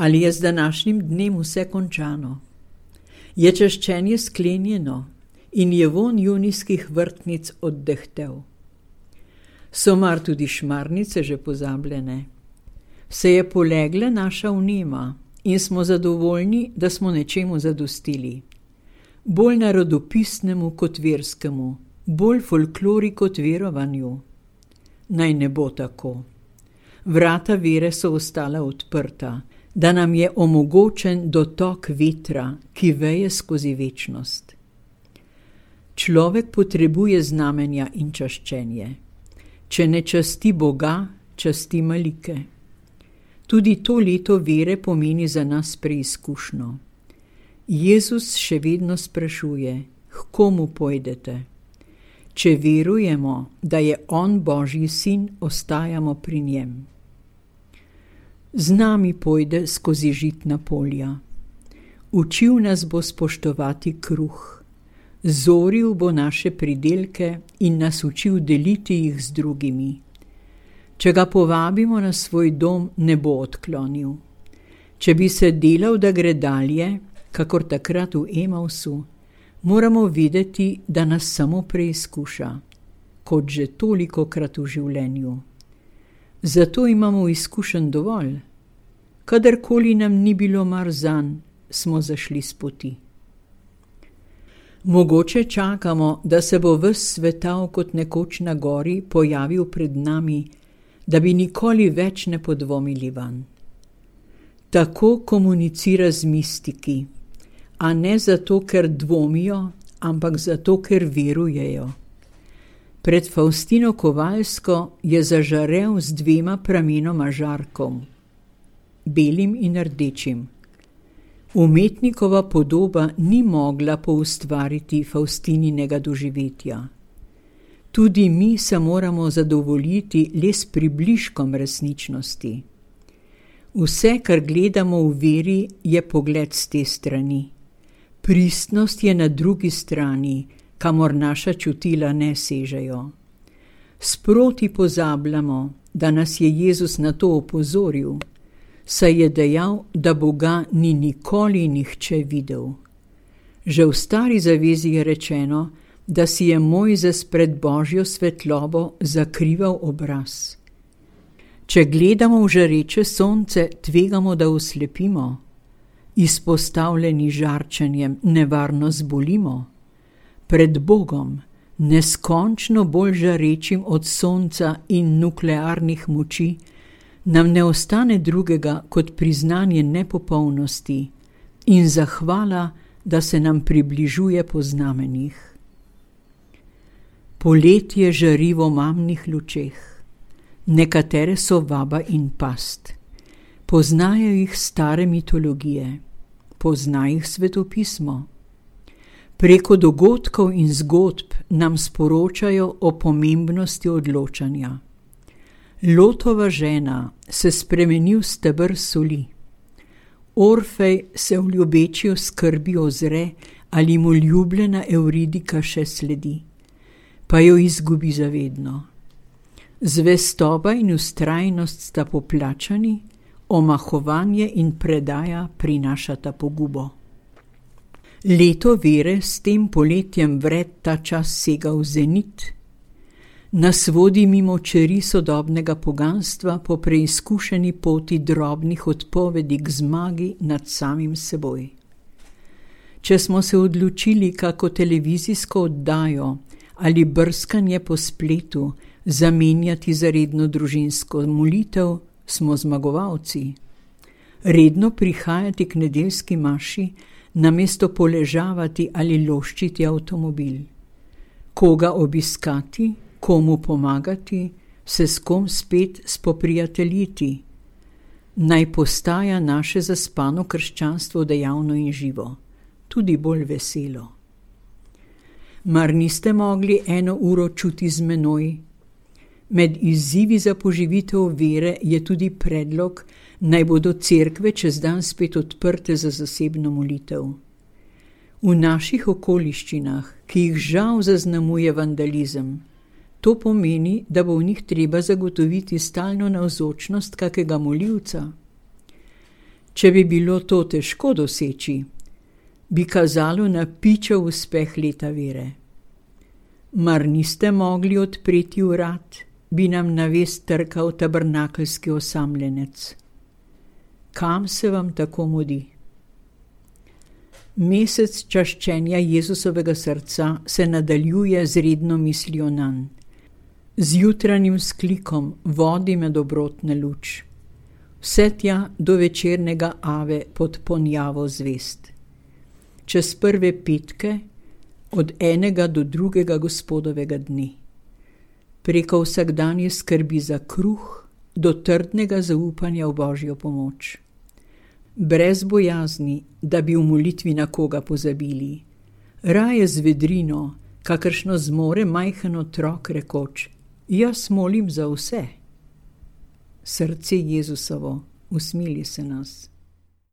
Ali je z današnjim dnem vse končano? Je čaščenje sklenjeno in je vonj junijskih vrtnic oddehtel? So mar tudi šmarnice že pozabljene? Se je polegla naša vnema in smo zadovoljni, da smo nečemu zadostili. Bolj narodopisnemu kot verskemu, bolj folklori kot verovanju. Naj ne bo tako. Vrata vere so ostala odprta, da nam je omogočen dotok vetra, ki veje skozi večnost. Človek potrebuje znamenja in čaščenje. Če ne časti Boga, časti malike. Tudi to leto vere pomeni za nas preizkušnjo. Jezus še vedno sprašuje, k komu pojdete? Če verujemo, da je On Božji sin, ostajamo pri njem. Z nami pojde skozi žitna polja. Učil nas bo spoštovati kruh. Zoril bo naše pridelke in nas učil deliti jih z drugimi. Če ga povabimo na svoj dom, ne bo odklonil. Če bi se delal, da gre dalje, kakor takrat v Emausu, moramo videti, da nas samo preizkuša, kot že tolikokrat v življenju. Zato imamo izkušenj dovolj. Kadarkoli nam ni bilo mar zanj, smo zašli s poti. Mogoče čakamo, da se bo ves svetal kot nekoč na gori pojavil pred nami, da bi nikoli več ne podvomili vanj. Tako komunicira z mistiki, a ne zato, ker dvomijo, ampak zato, ker verujejo. Pred Faustino Kovalsko je zažarel z 2 pramenoma žarkom, belim in rdečim. Umetnikova podoba ni mogla poustvariti Faustininega doživetja. Tudi mi se moramo zadovoljiti le s približkom resničnosti. Vse, kar gledamo v veri, je pogled s te strani. Pristnost je na drugi strani, kamor naša čutila ne sežejo. Sproti pozabljamo, da nas je Jezus na to opozoril, saj je dejal, da Boga ni nikoli nihče videl. Že v Stari zavezi je rečeno, da si je Mojzes pred Božjo svetlobo zakrival obraz. Če gledamo v žareče sonce, tvegamo, da oslepimo. Izpostavljeni žarčenjem nevarno zbolimo. Pred Bogom, neskončno bolj žarečim od sonca in nuklearnih moči, nam ne ostane drugega kot priznanje nepopolnosti in zahvala, da se nam približuje po znamenjih. Poletje žari v omamnih lučeh. Nekatere so vaba in past. Poznajo jih stare mitologije. Pozna jih svetopismo. Preko dogodkov in zgodb nam sporočajo o pomembnosti odločanja. Lotova žena se spremeni v steber soli. Orfej se v ljubeči skrbi ozre, ali mu ljubljena Evridika še sledi, pa jo izgubi zavedno. Zvestoba in vztrajnost sta poplačani, omahovanje in predaja prinašata pogubo. Leto vere s tem poletjem vred ta čas sega v zenit, nas vodi mimo čeri sodobnega poganstva po preizkušeni poti drobnih odpovedi k zmagi nad samim seboj. Če smo se odločili kako televizijsko oddajo ali brskanje po spletu zamenjati za redno družinsko molitev, smo zmagovalci. Redno prihajati k nedeljski maši, namesto poležavati ali loščiti avtomobil. Koga obiskati, komu pomagati, se s kom spet spoprijateljiti. Naj postaja naše zaspano krščanstvo dejavno in živo, tudi bolj veselo. Mar niste mogli 1 uro čuti z menoj? Med izzivi za poživitev vere je tudi predlog, naj bodo cerkve čez dan spet odprte za zasebno molitev. V naših okoliščinah, ki jih žal zaznamuje vandalizem, to pomeni, da bo v njih treba zagotoviti stalno navzočnost kakega molivca. Če bi bilo to težko doseči, bi kazalo na pičev uspeh leta vere. Mar niste mogli odpreti vrat, bi nam na vest trkal tabernakeljski osamljenec. Kam se vam tako mudi? Mesec čaščenja Jezusovega srca se nadaljuje z redno mislijo nanj. Z jutranjim sklikom vodi me dobrotna luč. Vse tja do večernega ave pod ponjavo zvest. Čez prve petke, od enega do drugega Gospodovega dni. Preko vsakdanje skrbi za kruh, do trdnega zaupanja v Božjo pomoč. Brez bojazni, da bi v molitvi na koga pozabili. Raje z vedrino, kakršno zmore majhen otrok rekoč: jaz molim za vse. Srce Jezusovo, usmili se nas.